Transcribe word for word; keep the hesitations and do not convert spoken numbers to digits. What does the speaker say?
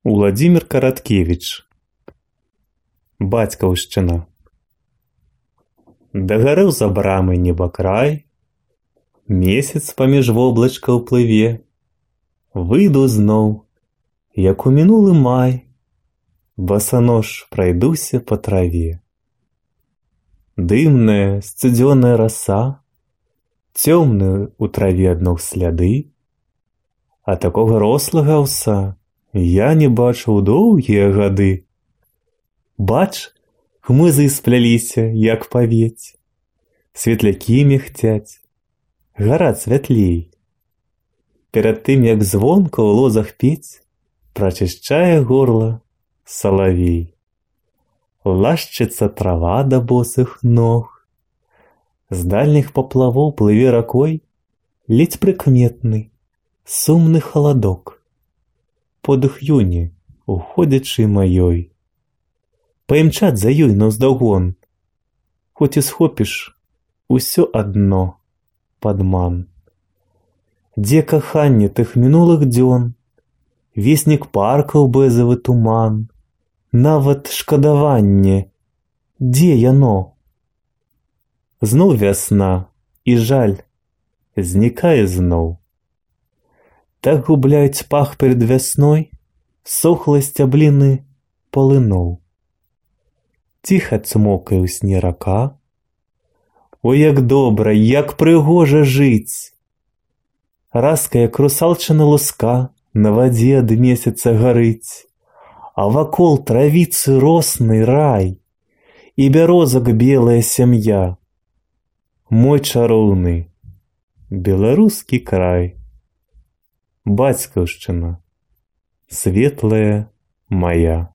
Уладзімір Караткевіч. Бацькаўшчына. Дагарэў за брамай небакрай, месяц паміж воблачкаў плыве. Выйду зноў, як у мінулы май, басанож прайдуся па траве. Дымная, сцюдзёная раса, цёмныя ў траве адно сляды, а такога рослага аўса я не бачыў доўгія гады. Бач, хмызы спляліся, як павець, светлякі мігцяць, гара святлей. Перад тым, як звонка ў лозах пець, прачышчае горла салавей. Лашчыцца трава да босых ног, з дальніх паплавоў плыве ракой ледзь прыкметны, сумны халадок. Подых юні, уходзячы маёй. Паімчаць за ёй наўздагон, хоць і схопіш усё адно падман. Дзе каханне тых мінулых дзён, веснік паркаў бэзавы туман, нават шкадаванне, дзе яно? Зноў вясна, і жаль знікае зноў. Так губляюць пах перад вясной сохлай сцябліны палыноў. Ціха цмокае ў сне рака. Ой, як добра, як прыгожа жыць! Раска, як русалчына луска, на вадзе ад месяца гарыць, а вакол травіцы роснай рай і бярозак белая сям'я. Мой чароўны беларускі край. Бацькаўшчына, светлая мая.